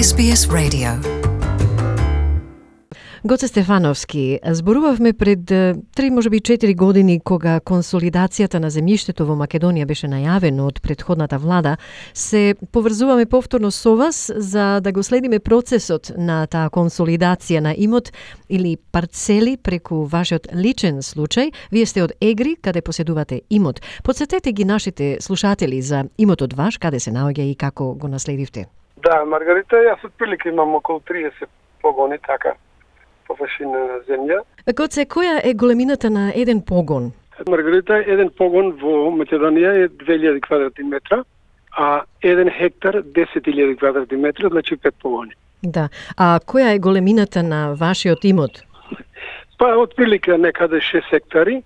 SBS Radio. Гоце Стефановски, зборувавме пред 3, можеби 4 години, кога консолидацијата на земјиштето во Македонија беше најавено од претходната влада. Се поврзуваме повторно со вас за да го следиме процесот на таа консолидација на имот или парцели преку вашиот личен случај. Вие сте од Егри, каде поседувате имот. Подсетете ги нашите слушатели за имотот ваш, каде се наоѓа и како го наследивте. Да, Маргарита, јас отприлика имам околу 30 погони, така, површина на земја. Гоце, која е големината на еден погон? Маргарита, еден погон во Македонија е 2000 квадратни метра, а 1 хектар 10.000 квадратни метра, значи 5 погони. Да. А која е големината на вашиот имот? Па, отприлика некаде 6 хектари,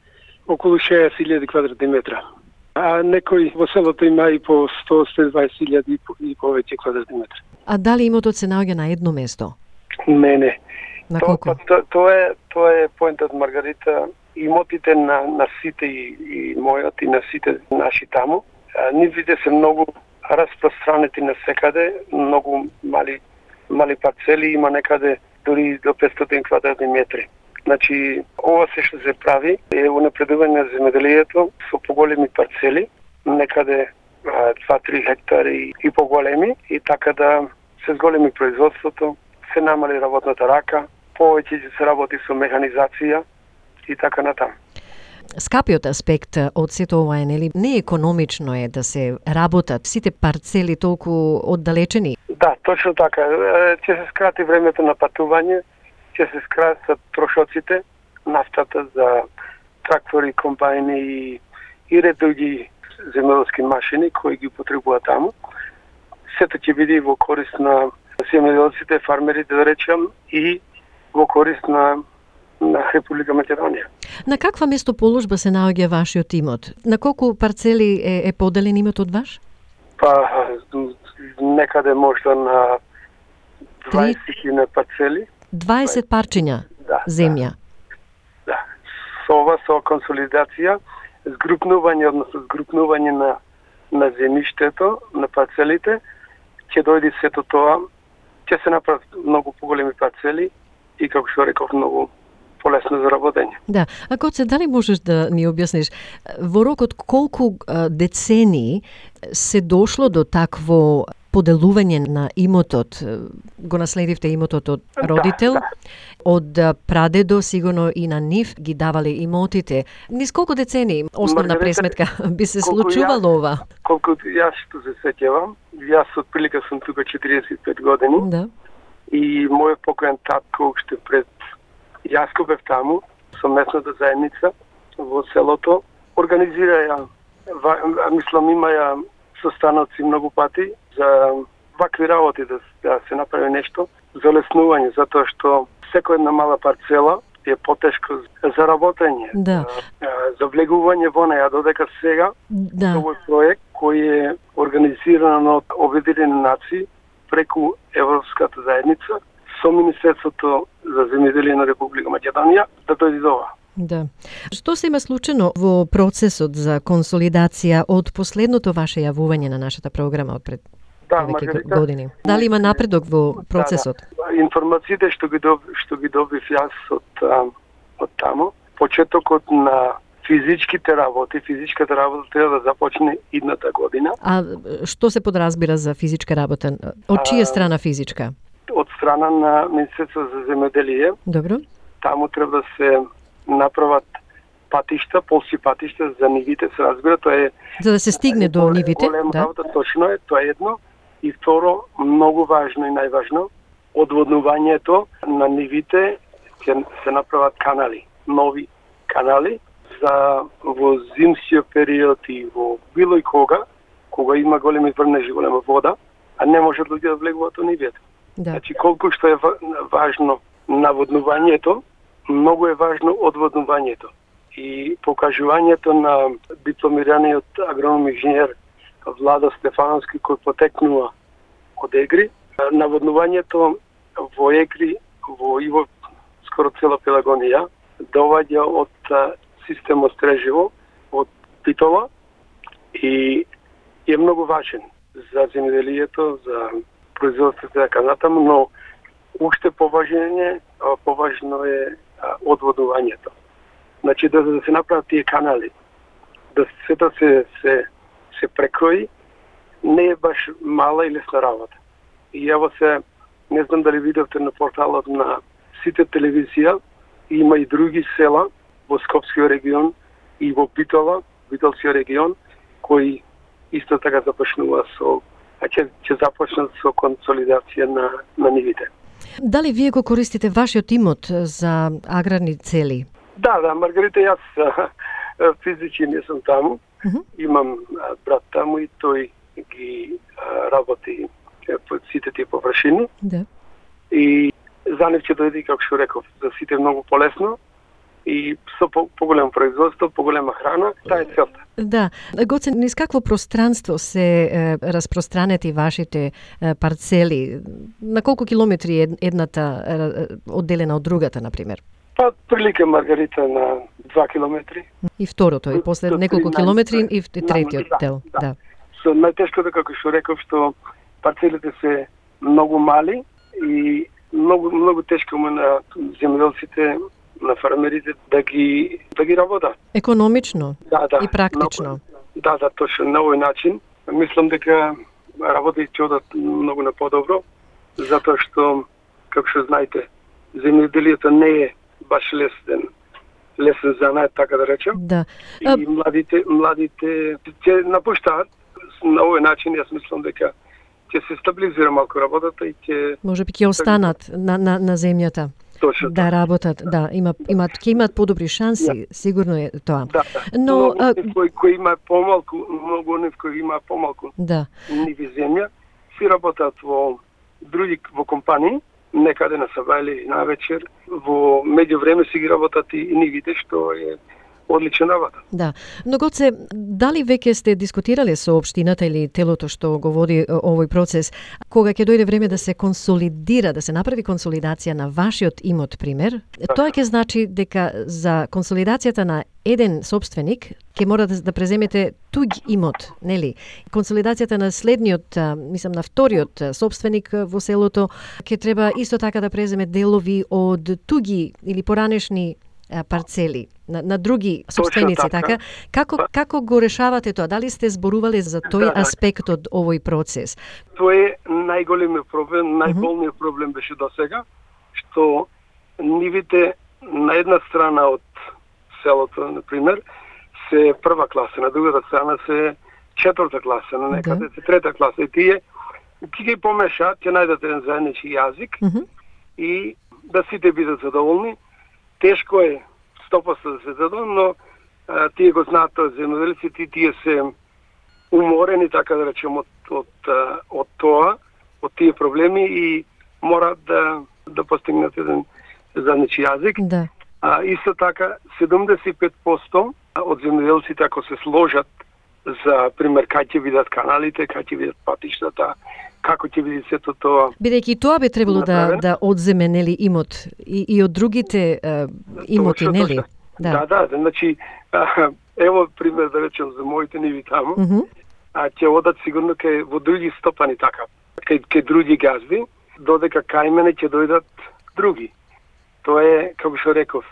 околу 60.000 квадратни метра. А некој во селото има и по 100-120.000 и повеќе квадратни метри. А дали имотот се наоѓа на едно место? Не. На колку? Тоа е поентот, Маргарита. Имотите на сите и мојот и на сите наши таму, нивите се многу распространети навсекаде, многу мали парцели, има некаде дури до 500 квадратни метри. Значи, ова се што се прави е унапредување на земјоделието со поголеми парцели, некаде 2-3 хектари и поголеми, и така да се зголеми производството, се намали работната рака, повеќе се работи со механизација и така натаму. Скапиот аспект од сето ова е, нели, неекономично е да се работат сите парцели толку оддалечени? Да, точно така. Ќе се скрати времето на патување, ќе се скратат трошоците, нафтата за трактори, комбајни и ред други земјоделски машини кои ги потребуваат таму. Сето ќе биде во корист на земјоделците, фармерите, да речем, и во корист на Република Македонија. На каква местоположба се наоѓа вашиот имот? На колку парцели е поделен имотот ваш? Па, некаде можда на 20 парцели. 20 парчиња земја? Да. Со консолидација, згрупнување на земјиштето, на парцелите, ќе дојде сето тоа, ќе се направат многу поголеми парцели и, како што реков, многу полесно за работење. Да. А Гоце, дали можеш да ни објасниш во рокот колку децении се дошло до такво поделување на имотот? Го наследивте имотот од родител, од прадедо, сигурно и на нив ги давале имотите. Низ колку децении, основна пресметка, би се случувало ова? Колку јас што се сеќавам, јас отприлика сум тука 45 години. Да. И мојот покојен татко уште пред јас кога бев таму со местната заедница во селото организираја, мислам имаја состаноци многу пати за вакви работи да се направи нешто за леснување, затоа што секоја една мала парцела е потешко за работење, за влегување во неја, додека сега овој проект кој е организиран од Обединените нации преку Европската заедница со Министерството за земјоделие на Република Македонија да дојде до ова. Да. Што се има случено во процесот за консолидација од последното ваше јавување на нашата програма од пред Маргарита, години? Дали има напредок во процесот? Информациите што ги добив јас од таму, почетокот на физичката работа треба да започне идната година. А што се подразбира за физичка работа? Од чија страна физичка? Од страна на Министерство за земјоделие. Добро. Таму треба да се направат патишта, полски патишта за нивите, се разбира, тоа е за да се стигне до нивите, голема работа, точно е, тоа е едно. И второ, многу важно и најважно, одводнувањето на нивите ќе се направат канали, нови канали за во зимскиот период и во било и кога има големи врнежи, голема вода, а не може луѓе да влегуваат во нивите. Да. Значи, колку што е важно наводнувањето, многу е важно одводнувањето. И покажувањето на дипломираниот агроном инженер Владо Стефановски, кој потекнува од Егри. Наводнувањето во Егри, во скоро цела Пелагонија, доаѓа од системот Стрежево, од Питола, и е многу важен за земјоделието, за производството така натаму, но уште поважно е одводувањето. Значи да се направат тие канали, да сето се прекрои, не е баш мала и лесна работа. И ево се, не знам дали видовте на порталот на Сите телевизија, има и други села во Скопскиот регион и во Битолскиот регион, кои исто така започнува ќе започнат со консолидација на нивите. Дали вие го користите вашиот имот за аграрни цели? Да, Маргарита, јас физички не сум таму. Имам брат таму и тој ги работи по сите тие површини. Да. И за нив ќе дојде, како што реков, за сите многу полесно и со поголемо производство, поголема храна, таа е целта. Да. Гоце, низ какво пространство се распространети вашите парцели? На колку километри е едната одделена од другата, например? Па, прилика, Маргарита, на 2 километри. И второто, и после неколку километри и третиот дел. Да. Со најтешкото, како што реков, што парцелите се многу мали и многу тешко му на земјоделците, на фермерите да ги работат. Економично и практично. Да, точно на овој начин. Мислам дека работите ќе одат многу на подобро, затоа што, како што знаете, земјоделието не е баш лесен занат, така да речем. Да. И младите ќе напуштаат. На овој начин јас мислам дека ќе се стабилизира малку работата и ќе можеби ќе останат на земјата. Точно. Да работат, да, ќе имат подобри шанси, сигурно е тоа. Да. Но кои има помалку, многу оние кои има помалку. Да. Ниви земја си работат во компании, некаде на саба или на вечер, во меѓувреме си ги работат и нивите, што е одлична работа. Да. Но Гоце, дали веќе сте дискутирале со општината или телото што го води овој процес, кога ќе дојде време да се консолидира, да се направи консолидација на вашиот имот, пример, тоа ќе значи дека за консолидацијата на еден собственик ќе мора да преземете туѓ имот, нели? Консолидацијата на следниот, мислам на вториот собственик во селото, ќе треба исто така да преземе делови од туѓи или поранешни парцели на други собственици, така? Како го решавате тоа? Дали сте зборувале за тој аспект од овој процес? Тоа е најголемиот проблем, најболниот проблем беше досега, што нивите на една страна од селото, например, се прва класа, на другата страна се четврта класа, на некаде се трета класа. И тие ќе ги помешаат, ќе најдат еден заеднички јазик и да сите бидат задоволни. Тешко е 100% да се задоволни, но тие го знаат тоа земјоделците, тие се уморени, така да речем, од тоа, од тие проблеми и мораат да постигнат еден заеднички јазик. Да. Исто така, 75% од земјоделците, ако се сложат за пример кај ќе видат каналите, кај ќе видат патиштата, како ќе биде сето тоа. Бидејќи тоа би требало да одземе, нели, имот и од другите имоти, нели? Да, значи ево пример да речем за моите ниви таму. Ќе одат сигурно во други стопани така, кај други газби, додека кај мене ќе дојдат други. Тоа е, како што реков,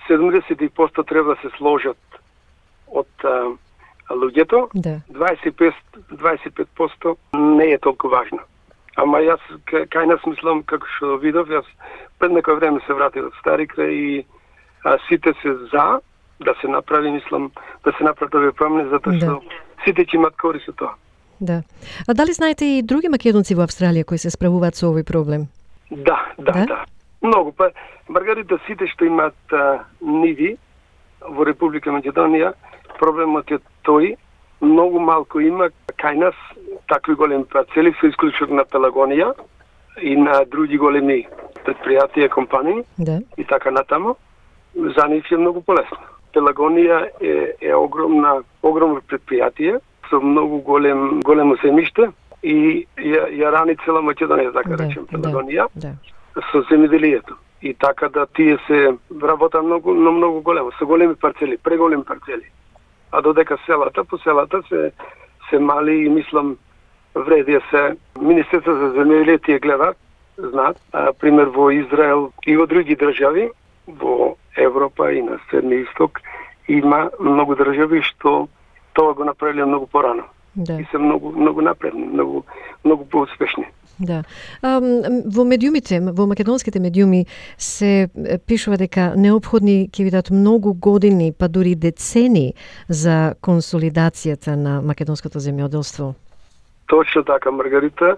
70% треба да се сложат од луѓето, 25% не е толку важно. Ама јас кај нас мислам, како што видов, јас пред некој време се вратив од Стари крај и сите се за да се направи, мислам, да се направи овие промени, затоа што сите ќе имат корист од тоа. Да. А дали знаете и други македонци во Австралија кои се справуваат со овој проблем? Да. Многу. Па, Маргарита, сите што имаат ниви во Република Македонија, проблемот е тој, многу малку има кај нас такви големи парцели, со исклучок на Пелагонија и на други големи предпријатија, компании и така натаму. За нив е многу полесно. Пелагонија е огромно предпријатие со многу големо земјиште и ја рани цела Македонија, така речем, Пелагонија, со земјоделието. И така да тие се работа многу големо, со големи парцели, преголеми парцели. А додека по селата се мали и мислам вреди се Министерство за земјоделие гледат, знаат, пример во Израел и во други држави, во Европа и на Средни Исток, има многу држави што тоа го направиле многу порано. Да. И се многу напредни, многу поуспешни. Да. Во медиумите, во македонските медиуми се пишува дека неопходни ќе бидат многу години, па дури децени за консолидацијата на македонското земјоделство. Точно така, Маргарита.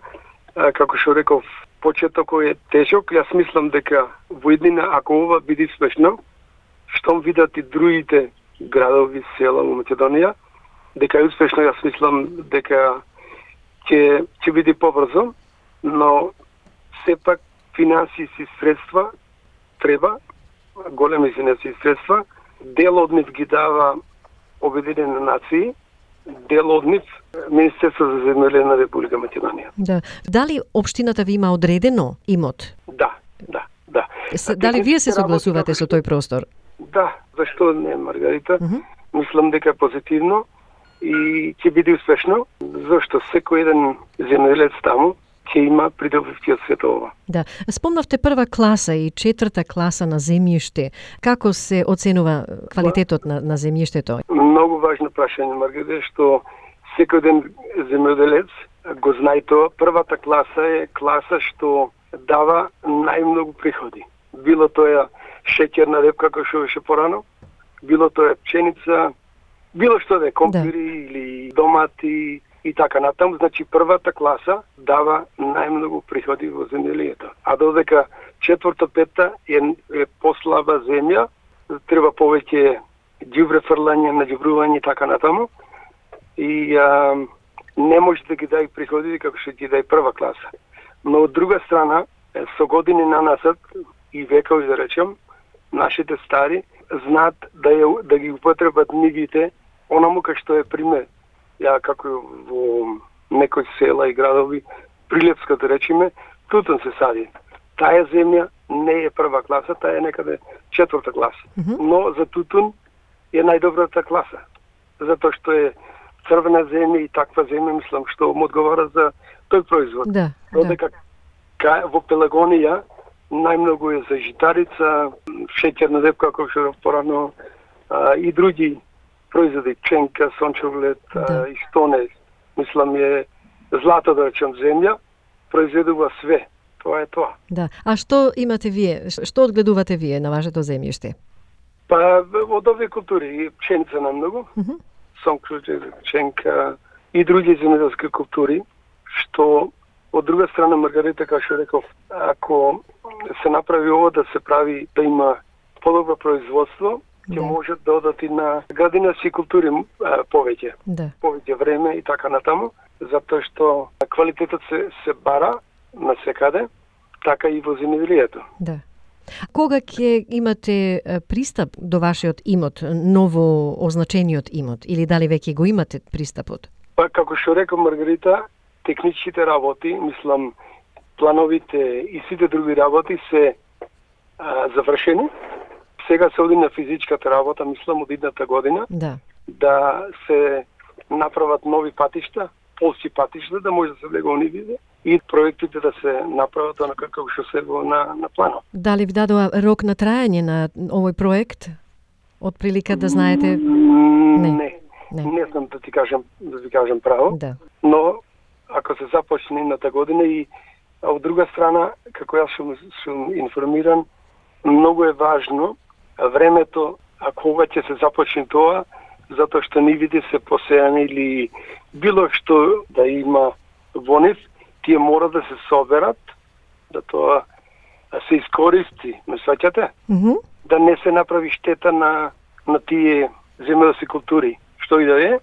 Како што реков, почетокот е тежок. Јас мислам дека во иднина, ако ова биде успешно, штом видат и другите градови, села во Македонија, дека е успешно, јас мислам дека ќе биде побрзо, но сепак финансиски средства треба, големи финансиски средства, дел од нив ги дава Обединени нации, дел од нив Министерство за земјоделие на Република Македонија. Да. Дали општината ви има одредено имот? Да. Дали вие се согласувате со тој простор? Да, зашто не, Маргарита? Мислам дека е позитивно и ќе биде успешно, зашто секој еден земјоделец таму ќе има придобивки од сето ова. Да. Спомнавте прва класа и четврта класа на земјиште. Како се оценува квалитетот на земјиштето? Многу важно прашање, Маргарита, што секој ден земјоделец го знае тоа. Првата класа е класа што дава најмногу приходи. Било тоа шеќерна репка, како што беше порано, било тоа пченица, било што да е компири или домати и така натаму. Значи првата класа дава најмногу приходи во земјоделието. А додека четврта, петта е послаба земја, треба повеќе ѓубре фрлање, наѓубрување и така натаму. И не може да ги дај приходи како што ги дај прва класа. Но од друга страна, со години нанасад и векови да речем, нашите стари знаат да ги употребат нивите онаму кај што е пример. Ја како во некои села и градови, Прилепска да речеме, тутун се сади. Таа земја не е прва класа, таа е некаде четврта класа. Но за тутун е најдобрата класа. Затоа што е црвена земја и таква земја, мислам, што му одговара за тој производ. Да. Додека во Пелагонија најмногу е за житарица, шеќерна репка, како што порано, и други производи, пченка, сончоглед и стоне. Мислам е злато, да речем, земја, произведува све. Тоа е тоа. Да. А што имате вие? Што одгледувате вие на вашето земјиште? Па од овие култури, пченица најмногу, сончоглед, пченка и други земјоделски култури, што од друга страна, Маргарита, како што реков, ако се направи ова да се прави, да има подобро производство, ќе може да одат и на градинарски култури повеќе. Повеќе време и така натаму, затоа што квалитетот се бара на секаде, така и во земјоделието. Да. Кога ќе имате пристап до вашиот имот, ново означениот имот, или дали веќе го имате пристапот? Па, како што реков Маргарита, техничките работи, мислам, плановите и сите други работи се завршени. Сега се оди на физичката работа, мислам, од идната година, да се направат нови патишта, полски патишта, да може да се влега нивите и проектите да се направат онака како што се на планот. Дали ви дадоа рок на трајање на овој проект? Од прилика да знаете? Не знам да ти кажам право. Да. Но ако се започне едната година и од друга страна, како јас сум информиран, многу е важно времето, ако ова ќе се започне тоа, затоа што нивите се посејани или било што да има во нив, тие мора да се соберат, да тоа се искористи, ме сваќате? Да не се направи штета на тие земјоделски култури, што и да е,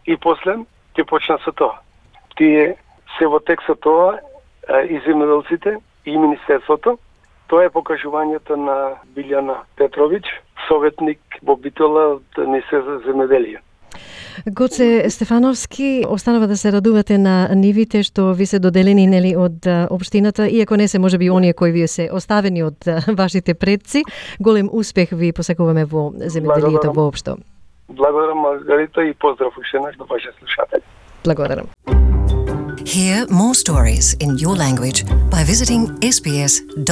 и после ќе почна со тоа. Тие се во тек со тоа и земјоделците и Министерството. Тоа е покажувањето на Билјана Петровиќ, советник во Битола од Министерството за земјоделие. Гоце Стефановски, останува да се радувате на нивите што ви се доделени нели од општината, иако не се можеби оние кои ви се оставени од вашите предци. Голем успех ви посакуваме во земјоделието воопшто. Благодарам, Маргарита, и поздрав уште еднаш до вашите слушатели. Благодарам. Hear more stories in your language by visiting sbs.com.au.